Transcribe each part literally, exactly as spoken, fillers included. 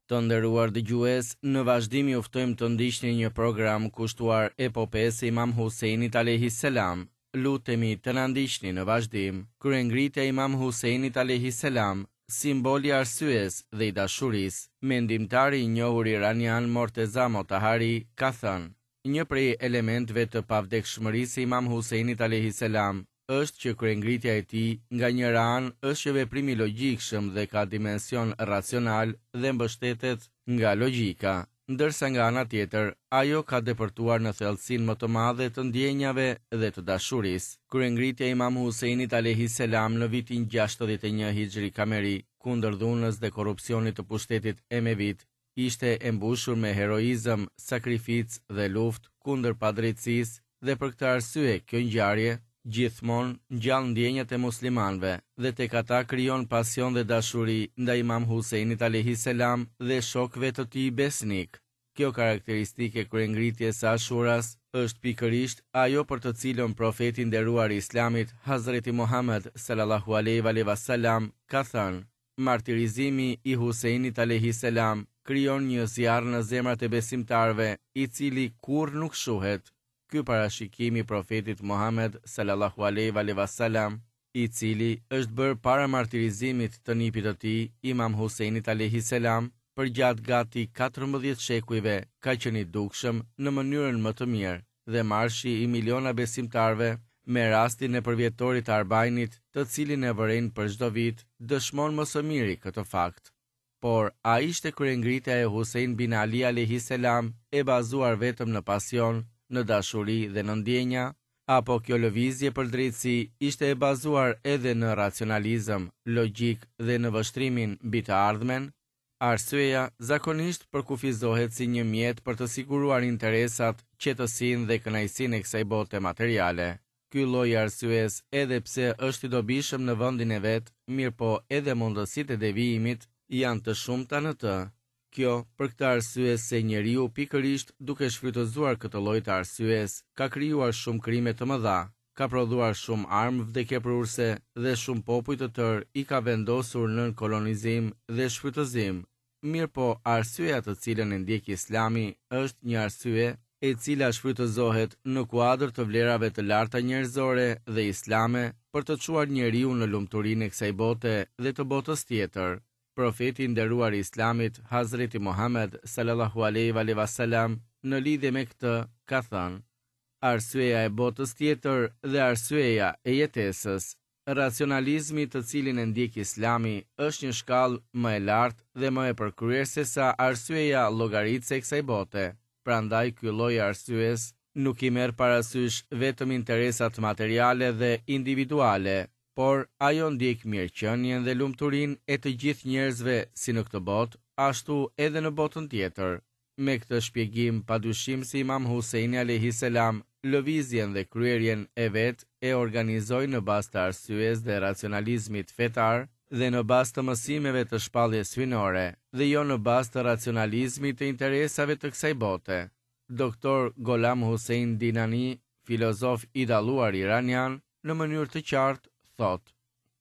Të nderuar dëgjues, në vazhdim ju ftojmë të ndiqni një program kushtuar epopesë së Imam Husejnit alejhi selam. Lutemi të na ndiqni në vazhdim. Kryengritja e Imam Husejnit alejhi selam, simbol i arsyes dhe i dashurisë. Mendimtari i njohur iranian Morteza Motahari ka thënë: Një prej elementëve të pavdekshmërisë së Imam Husejnit alejhi selam është që kryengritja e tij nga njëra anë është një veprim i logjikshëm dhe ka dimension racional dhe mbështetet nga logjika, ndërsa nga ana tjetër ajo ka depërtuar në thellësinë më të madhe të ndjenjave dhe të dashurisë. Kryengritja e Imam Husejnit alejhi selam në vitin gjashtëdhjetë e një Hijri Kameri kundër dhunës dhe korrupsionit të pushtetit emevit ishte e mbushur me heroizëm, sakrificë dhe luftë kundër padrejtësisë dhe për këtë arsye kjo ngjarje gjithmonë ngjall ndjenjat e muslimanëve dhe tek ata krijon pasion dhe dashuri ndaj Imam Husejnit alejhi selam dhe shokëve të tij besnik. Kjo karakteristike e kryengritjes së Ashuras është pikërisht ajo për të cilën profeti i nderuar i Islamit, Hazreti Muhammed sallallahu alaihi wa sallam, ka thënë: Martirizimi i Husejnit alejhi selam krijon një zjarr në zemrat e besimtarëve, i cili kurrë nuk shuhet. Ky parashikim i profetit Muhammed sallallahu alaihi wa sallam, i cili është bërë para martirizimit të nipit të tij, Imam Husejnit alejhi selam, përgjatë gati katërmbëdhjetë shekujve ka qenë i dukshëm në mënyrën më të mirë dhe marshi i miliona besimtarëve me rastin e përvjetorit të Arbajnit, të cilin e vërejnë për çdo vit, dëshmon më së miri këtë fakt. Por, a ishte kryengritja e Husejn bin Ali alejhi selam e bazuar vetëm në pasion, në dashuri dhe në ndjenja, apo kjo lëvizje për drejtësi ishte e bazuar edhe në racionalizëm, logjik dhe në vështrimin mbi të ardhmen? Arsyeja zakonisht përkufizohet si një mjet për të siguruar interesat, qetësinë dhe kënaqësinë e kësaj bote materiale. Ky lloj arsyes, edhe pse është i dobishëm në vendin e vet, mirëpo edhe mundësitë e devijimit janë të shumta në të. Kjo për këtë arsye se njeriu pikërisht duke shfrytëzuar këtë lloj të arsyes ka krijuar shumë krime të mëdha, ka prodhuar shumë armë vdekjeprurse dhe shumë popuj të tërë i ka vendosur nën kolonizim dhe shfrytëzim. Mirëpo, arsyeja të cilën e ndjek Islami është një arsye e cila shfrytëzohet në kuadër të vlerave të larta njerëzore dhe islame për të çuar njeriu në lumturinë e kësaj bote dhe të botës tjetër. Profeti i nderuar i Islamit, Hazreti Muhammed sallallahu alaihi wa sallam, në lidhje me këtë ka thënë: Arsyeja e botës tjetër dhe arsyeja e jetesës. Racionalizmi të cilin e ndjek Islami është një shkallë më e lartë dhe më e përkryer se sa arsyeja llogaritëse e kësaj bote. Prandaj ky lloj arsyes nuk i merr parasysh vetëm interesat materiale dhe individuale, por ajo ndjek mirëqenien dhe lumturinë e të gjithë njerëzve si në këtë botë, ashtu edhe në botën tjetër. Me këtë shpjegim, padyshim se Imam Husejni alejhi selam lëvizjen dhe kryerjen e vet e organizoi në bazë të arsyes dhe racionalizmit fetar dhe në bazë të mësimeve të shpalljes hyjnore dhe jo në bazë të racionalizmit të interesave të kësaj bote. Doktor Golam Hussein Dinani, filozof i dalluar iranian, në mënyrë të qartë thotë: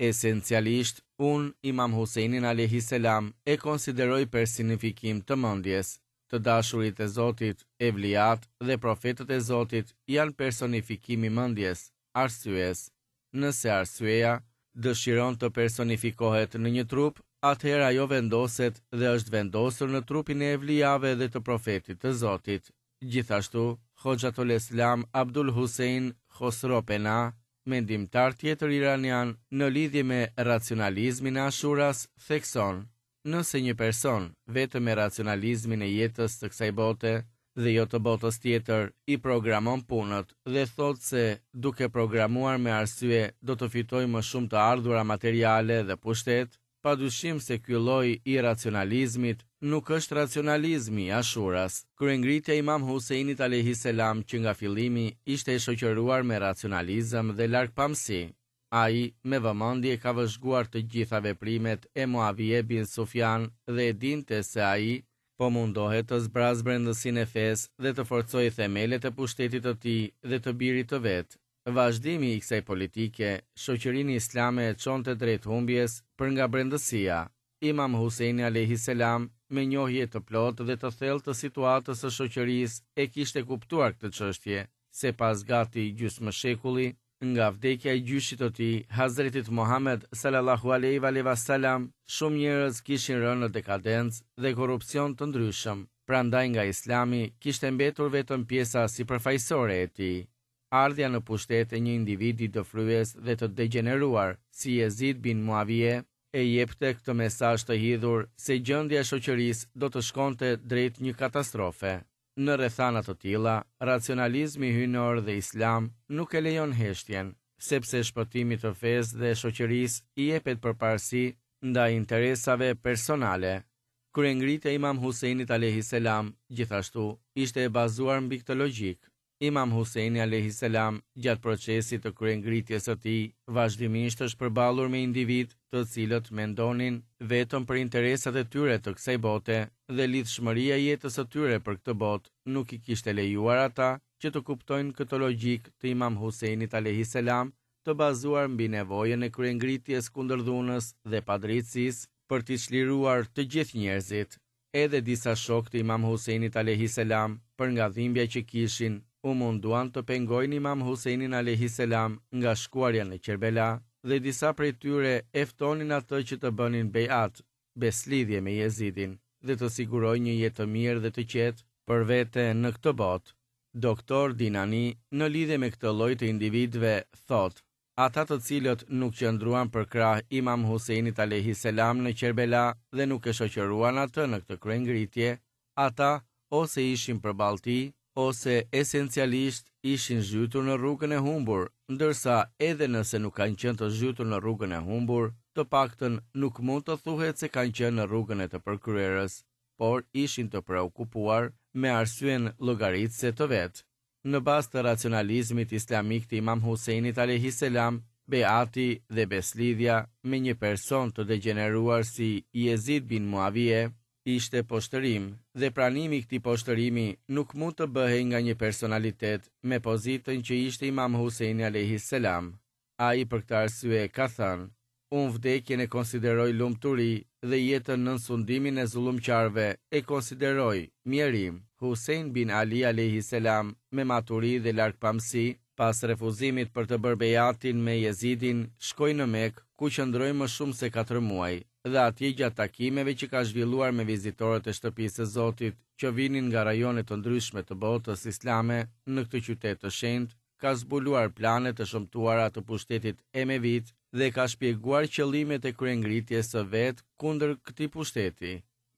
Esencialisht, unë Imam Husseinin alejhi selam e konsideroj personifikim të mendjes. Të dashurit e Zotit, evliat dhe profetët e Zotit janë personifikim i mendjes, arsyes. Nëse arsyeja dëshiron të personifikohet në një trup, atëherë ajo vendoset dhe është vendosur në trupin e evlijave dhe të profetit të Zotit. Gjithashtu, Hoxhatul Islam Abdul Hussein Khosro Pena, mendimtar tjetër iranian në lidhje me racionalizmin e Ashuras, thekson: Nëse një person vetëm me racionalizmin e jetës të kësaj bote dhe jo të botës tjetër i programon punët dhe thotë se duke programuar me arsye do të fitojë më shumë të ardhura materiale dhe pushtet, padyshim se ky lloj i racionalizmit nuk është racionalizmi i Ashuras. Kryengritja e Imam Husejnit alejhi selam që nga fillimi ishte e shoqëruar me racionalizëm dhe largpamësi. Ai me vëmendje ka vëzhguar të gjitha veprimet e Muavije bin Sufjan dhe e dinte se ai po mundohet të zbrazë brendësinë e fesë dhe të forcojë themelet e pushtetit të tij dhe të birit të vet. Vazhdimi i kësaj politike, shoqërinë islame e çonte drejt humbjes për nga brendësia. Imam Husejni alejhi selam me njohje të plotë dhe të thellë të situatës së shoqërisë, e kishte kuptuar këtë çështje, se pas gati gjysmë shekulli nga vdekja e gjyshit të tij, Hazretit Muhammed sallallahu alaihi wa sallam, shumë njerëz kishin rënë në dekadencë dhe korrupsion të ndryshëm. Prandaj nga Islami kishte mbetur vetëm pjesa sipërfaqësore e tij. Ardhja në pushtet e një individi dëfryes dhe të degjeneruar, si Jezid bin Muavije, e jepte këtë mesazh të hidhur se gjendja e shoqërisë do të shkonte drejt një katastrofe. Në rrethana të tilla, racionalizmi hyjnor dhe islam nuk e lejon heshtjen, sepse shpëtimit të fesë dhe shoqërisë i jepet përparësi ndaj interesave personale. Kryengritja e Imam Husejnit alayhi selam gjithashtu ishte e bazuar mbi këtë logjikë. Imam Husejni alayhi selam gjatë procesit të kryengritjes së tij vazhdimisht është përballur me individ të cilët mendonin vetëm për interesat e tyre të kësaj bote dhe lidhshmëria e jetës së tyre për këtë botë nuk i kishte lejuar ata që të kuptojnë këtë logjikë të Imam Husejnit alayhi selam të bazuar mbi nevojën e kryengritjes kundër dhunës dhe padrejtësisë për t'i çliruar të gjithë njerëzit. Edhe disa shokë të Imam Husejnit alayhi selam, për nga dhimbja që kishin, u munduan të pengojnë Imam Husejnin alayhi selam nga shkuarja në Qerbela dhe disa prej tyre e ftonin atë që të bënin bejat, beslidhje me Jezidin, dhe të sigurojë një jetë të mirë dhe të qetë për vete në këtë botë. Doktor Dinani, në lidhje me këtë lloj të individëve, thotë: ata të cilët nuk qëndruan për krah Imam Husejnit alayhi selam në Qerbela dhe nuk e shoqëruan atë në këtë kryengritje, ata ose ishin përballë tij, ose esencialisht ishin zhytur në rrugën e humbur, ndërsa edhe nëse nuk kanë qenë të zhytur në rrugën e humbur, të paktën nuk mund të thuhet se kanë qenë në rrugën e të përkryerës, por ishin të preokupuar me arsyen llogaritëse të vet. Në bazë të racionalizmit islamik të Imam Husejnit alayhi selam, beati dhe beslidhja me një person të degjeneruar si Jezid bin Muavije ishte poshtërim, dhe pranimi i këtij poshtërimi nuk mund të bëhej nga një personalitet me pozitën që ishte Imam Husejni alayhi selam. Ai për këtë arsye ka thënë: unë vdekjen e konsideroj lumturi dhe jetën nën sundimin e zullumqarëve e konsideroj mjerim. Husejn bin Ali alayhi selam me maturi dhe largpamësi, pas refuzimit për të bërë bejatin me Jezidin, shkoi në Mekë, ku qëndroi më shumë se katër muaj, dhe atje gjatë takimeve që ka zhvilluar me vizitorët e shtëpisë së Zotit, që vinin nga rajone të ndryshme të botës islame në këtë qytet të shenjtë, ka zbuluar planet e shëmtuara të pushtetit emevit dhe ka shpjeguar qëllimet e kryengritjes së vet kundër këtij pushteti.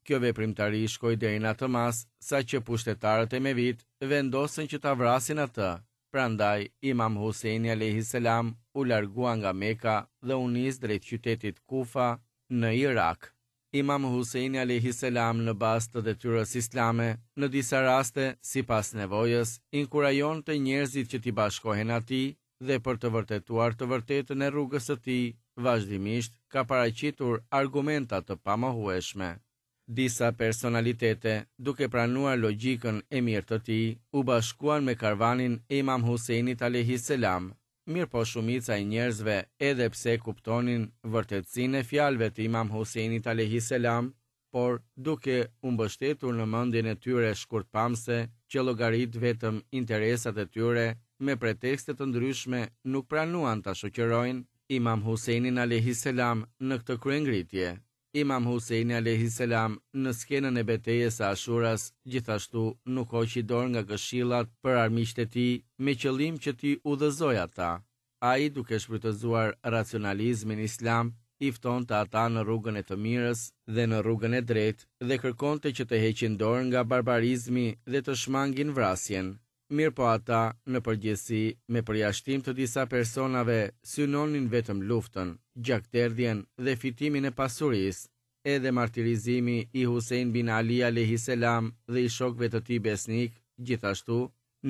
Kjo veprimtari shkoi deri në atë masë sa që pushtetarët emevit vendosën që ta vrasin atë. Prandaj Imam Husejni alayhi selam u largua nga Meka dhe u nis drejt qytetit Kufa në Irak. Imam Husejni alayhi selam në bazë të detyrës islame, në disa raste, sipas nevojës, inkurajonte njerëzit që t'i bashkohen atij dhe për të vërtetuar të vërtetën e rrugës së tij, vazhdimisht ka paraqitur argumenta të pamohueshme. Disa personalitete, duke pranuar logjikën e mirë të tij, u bashkuan me karvanin e Imam Husejnit alayhi selam. Mirë po shumica e njerëzve, edhe pse kuptonin vërtetësinë e fjalëve të Imam Husejnit alayhi selam, por duke u mbështetur në mendjen e tyre shkurtpamëse që llogarit vetëm interesat e tyre, me pretekste të ndryshme nuk pranuan ta shoqërojnë Imam Husejnin alayhi selam në këtë kryengritje. Imam Husejni alayhi selam në skenën e betejës së Ashuras gjithashtu nuk hoqi dorë nga këshillat për armiqtë e tij me qëllim që t'i udhëzojë ata. Ai, duke shfrytëzuar racionalizmin islam, i ftonte ata në rrugën e të mirës dhe në rrugën e drejtë dhe kërkonte që të heqin dorë nga barbarizmi dhe të shmangin vrasjen. Mirë po ata, në përgjithësi, me përjashtim të disa personave, synonin vetëm luftën, gjakderdhjen dhe fitimin e pasurisë. Edhe martirizimi i Husejn bin Ali alayhi selam dhe i shokëve të tij besnik, gjithashtu,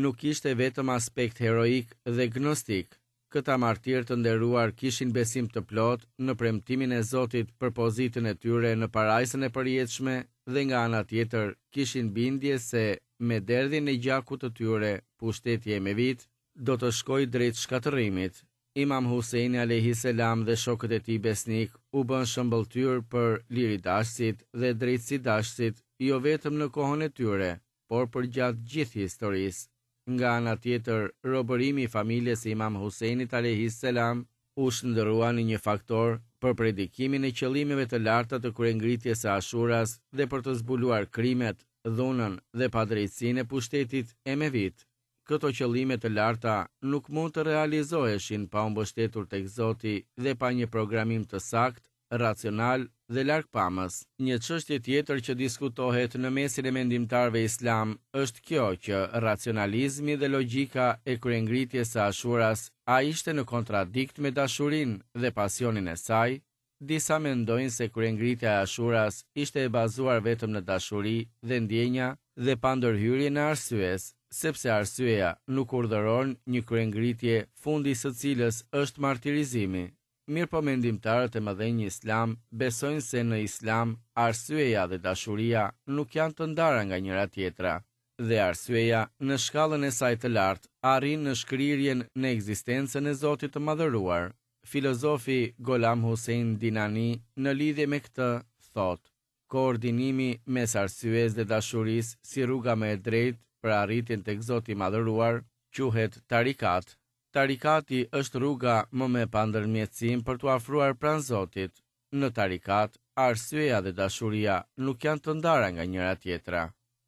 nuk ishte vetëm aspekt heroik dhe gnostik. Këta martirë të nderuar kishin besim të plotë në premtimin e Zotit për pozitën e tyre në parajsën e përjetshme dhe nga ana tjetër kishin bindje se me derdhjen e gjakut të tyre, pushteti emevit do të shkojë drejt shkatërrimit. Imam Husejni alejhi selam dhe shokët e tij besnikë u bënë shëmbëlltyrë për liridashësit dhe drejtësidashësit jo vetëm në kohën e tyre, por përgjatë gjithë historisë. Nga ana tjetër, robërimi i familjes së Imam Husejnit alejhi selam u shndërrua në një faktor për predikimin e qëllimeve të larta të kryengritjes së Ashuras dhe për të zbuluar krimet, dhunën dhe padrejtësinë e pushtetit emevit. Këto qëllime të larta nuk mund të realizoheshin pa u mbështetur tek Zoti dhe pa një programim të saktë, racional dhe largpamës. Një çështje tjetër që diskutohet në mesin e mendimtarëve islam është kjo që racionalizmi dhe logjika e kryengritjes së Ashuras a ishte në kontradikt me dashurinë dhe pasionin e saj? Disa mendojnë se kryengritja e Ashuras ishte e bazuar vetëm në dashuri dhe ndjenja dhe pa ndërhyrjen e arsyes, sepse arsyeja nuk urdhëron një kryengritje fundi së cilës është martirizimi. Mirëpo mendimtarët e mëdhenj islam besojnë se në islam arsyeja dhe dashuria nuk janë të ndara nga njëra tjetra, dhe arsyeja në shkallën e saj të lartë arrin në shkrirjen në ekzistencën e Zotit të Madhëruar. Filozofi Golam Hussein Dinani në lidhje me këtë thotë: koordinimi mes arsyes dhe dashurisë si rruga më e drejtë për arritjen tek Zoti i Madhëruar quhet tarikat. Tarikati është rruga më me pandërmjetësim për t'u afruar pranë Zotit. Në tarikat, arsyeja dhe dashuria nuk janë të ndara nga njëra tjetra.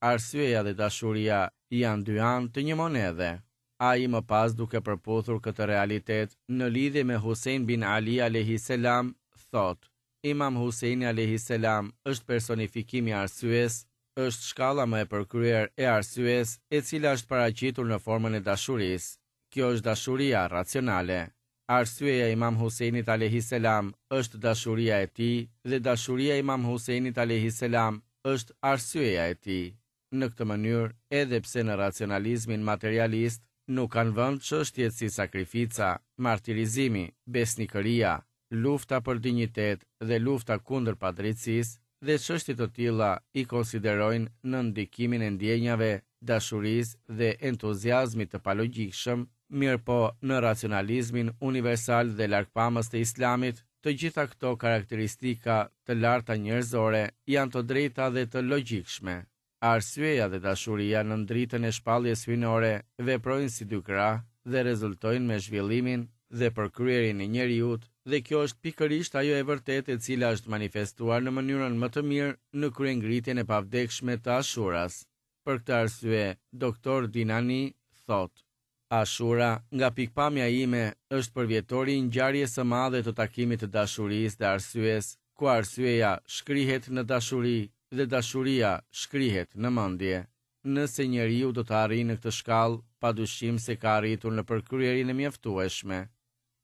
Arsyeja dhe dashuria janë dy anë të një monedhe. Ai më pas duke përputhur këtë realitet në lidhje me Husein bin Ali alayhi selam, thotë: Imam Huseini alayhi selam është personifikimi i arsyes, është shkalla më e përkryer e arsyes, e cila është paraqitur në formën e dashurisë. Kjo është dashuria racionale. Arsyeja e Imam Huseinit alayhi selam është dashuria e tij dhe dashuria e Imam Huseinit alayhi selam është arsyeja e tij. Në këtë mënyrë, edhe pse në racionalizmin materialist nuk kanë vend çështjet si sakrifica, martirizimi, besnikëria, lufta për dinjitet dhe lufta kundër padrejtësisë, dhe çështje të tilla i konsiderojnë në ndikimin e ndjenjave, dashurisë dhe entuziazmit të palogjikshëm, mirëpo në racionalizmin universal dhe largpamës të Islamit, të gjitha këto karakteristika të larta njerëzore janë të drejta dhe të logjikshme. Arsyeja dhe dashuria në dritën e shpalljes hyjnore veprojnë si dy krah dhe rezultojnë me zhvillimin dhe përkryerjen e njeriut, dhe kjo është pikërisht ajo e vërtetë e cila është manifestuar në mënyrën më të mirë në kryengritjen e pavdekshme të Ashuras. Për këtë arsye, doktor Dinani thotë: Ashura, nga pikpamja ime, është përvjetori i ngjarjes së madhe të takimit të dashurisë dhe arsyes, ku arsyeja shkrihet në dashuri dhe dashuria shkrihet në mendje. Nëse njeriu do të arrijë në këtë shkallë, padyshim se ka arritur në përkryerjen e mjaftueshme.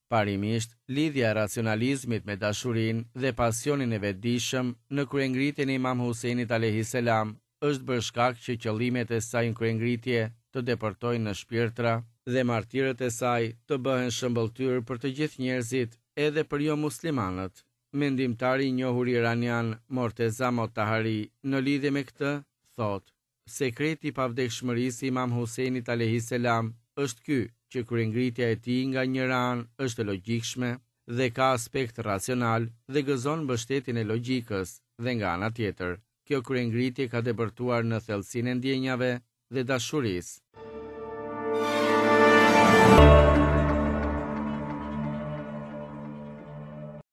Parimisht, lidhja e racionalizmit me dashurinë dhe pasionin e vetëdijshëm në kryengritjen e Imam Huseinit alayhi selam është bërë shkak që qëllimet e saj në kryengritje të depërtojnë në shpirtra dhe martirët e saj të bëhen shëmbëlltyrë për të gjithë njerëzit, edhe për jo muslimanët. Mendimtari i njohur iranian Morteza Motahari në lidhje me këtë thotë: sekreti i pavdekshmërisë së Imam Huseinit alayhi selam është ky që kryengritja e tij nga njëra anë është e logjikshme dhe ka aspekt racional dhe gëzon mbështetjen e logjikës, dhe nga ana tjetër, kjo kryengritje ka depërtuar në thellësinë e ndjenjave dhe dashurisë.